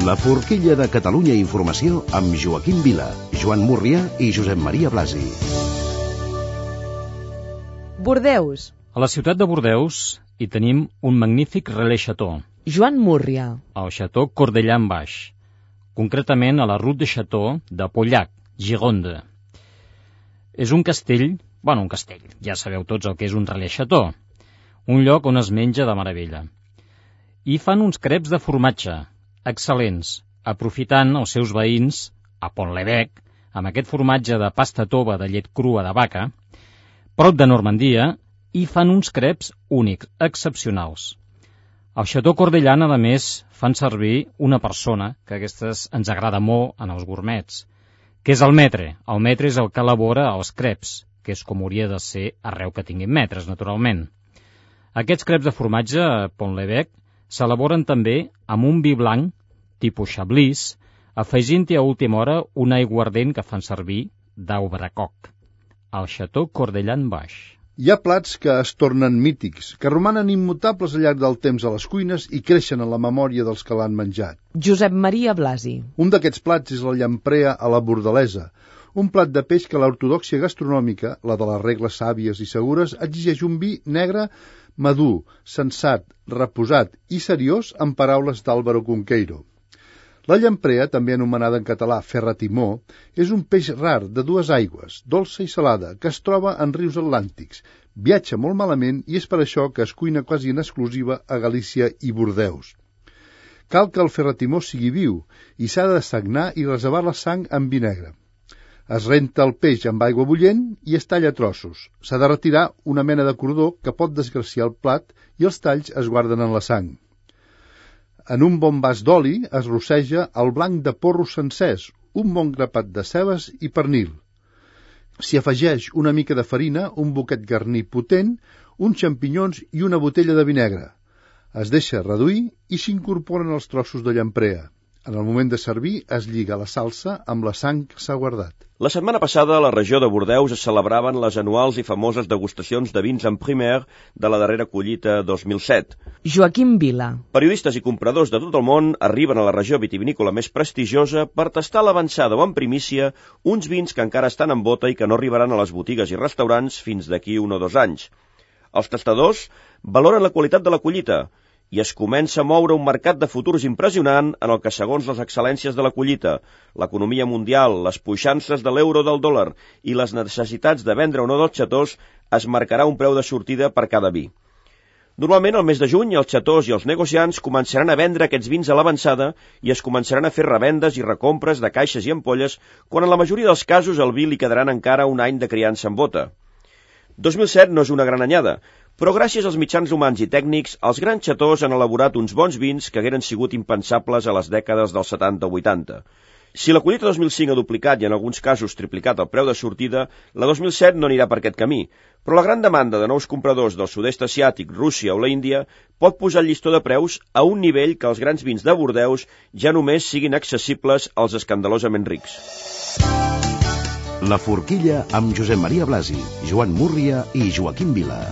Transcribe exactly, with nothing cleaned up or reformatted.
La forquilla de Catalunya Informació amb Joaquim Vila, Joan Múrria i Josep Maria Blasi. Bordeus. A la ciutat de Bordeus hi tenim un magnífic relais Chateau. Joan Múrria. El Chateau Cordellan-Baix, concretament a la Route de Chateau de Pauillac, Gironde. És un castell, bueno, un castell, ja sabeu tots el que és un relais Chateau, un lloc on es menja de meravella. I fan uns creps de formatge, excel·lents, aprofitant els seus veïns, a Pont-l'Évêque, amb aquest formatge de pasta tova de llet crua de vaca, prop de Normandia, i fan uns creps únics, excepcionals. Al Chateau Cordellan, a més, fan servir una persona, que aquestes ens agrada molt en els gourmets, que és el maître. El maître és el que elabora els creps, que és com hauria de ser arreu que tinguin maîtres, naturalment. Aquests creps de formatge a Pont-l'Évêque s'elaboren també amb un vi blanc, tipus Chablis, afegint-hi a última hora un aiguardent que fan servir d'Aubracoc, al Chateau Cordellan-Baix. Hi ha plats que es tornen mítics, que romanen immutables al llarg del temps a les cuines i creixen en la memòria dels que l'han menjat. Josep Maria Blasi. Un d'aquests plats és la llamprea a la bordalesa, un plat de peix que l'ortodòxia gastronòmica, la de les regles sàvies i segures, exigeix un vi negre madur, sensat, reposat i seriós, en paraules d'Àlvaro Cunqueiro. La llamprea, també anomenada en català ferratimó, és un peix rar de dues aigües, dolça i salada, que es troba en rius atlàntics. Viatja molt malament i és per això que es cuina quasi en exclusiva a Galícia i Bordeus. Cal que el ferratimó sigui viu i s'ha de sagnar i reservar la sang amb vi negre. Es renta el peix amb aigua bullent i es talla a trossos. S'ha de retirar una mena de cordó que pot desgraciar el plat i els talls es guarden en la sang. En un bon vas d'oli es rosseja el blanc de porros sencers, un bon grapat de cebes i pernil. S'hi afegeix una mica de farina, un boquet garní potent, uns xampinyons i una botella de vi negre. Es deixa reduir i s'incorporen els trossos de llamprea. En el moment de servir es lliga la salsa amb la sang que s'ha guardat. La setmana passada a la regió de Bordeus es celebraven les anuals i famoses degustacions de vins en primer de la darrera collita dos mil set. Joaquim Vila. Periodistes i compradors de tot el món arriben a la regió vitivinícola més prestigiosa per tastar l'avançada o en primícia uns vins que encara estan en bota i que no arribaran a les botigues i restaurants fins d'aquí un o dos anys. Els tastadors valoren la qualitat de la collita i es comença a moure un mercat de futurs impressionant en el que, segons les excel·lències de la collita, l'economia mundial, les puixances de l'euro del dòlar i les necessitats de vendre o no dels xatós, es marcarà un preu de sortida per cada vi. Normalment, al mes de juny, els xatós i els negociants començaran a vendre aquests vins a l'avançada i es començaran a fer revendes i recompres de caixes i ampolles, quan en la majoria dels casos el vi li quedaran encara un any de criança en bota. dos mil set no és una gran anyada, però gràcies als mitjans humans i tècnics, els grans xatós han elaborat uns bons vins que hagueren sigut impensables a les dècades dels setanta o vuitanta. Si la collita dos mil cinc ha duplicat i en alguns casos triplicat el preu de sortida, la dos mil set no anirà per aquest camí, però la gran demanda de nous compradors del sud-est asiàtic, Rússia o la Índia pot posar el llistó de preus a un nivell que els grans vins de Bordeus ja només siguin accessibles als escandalosament rics. La forquilla amb Josep Maria Blasi, Joan Múrria i Joaquim Vila.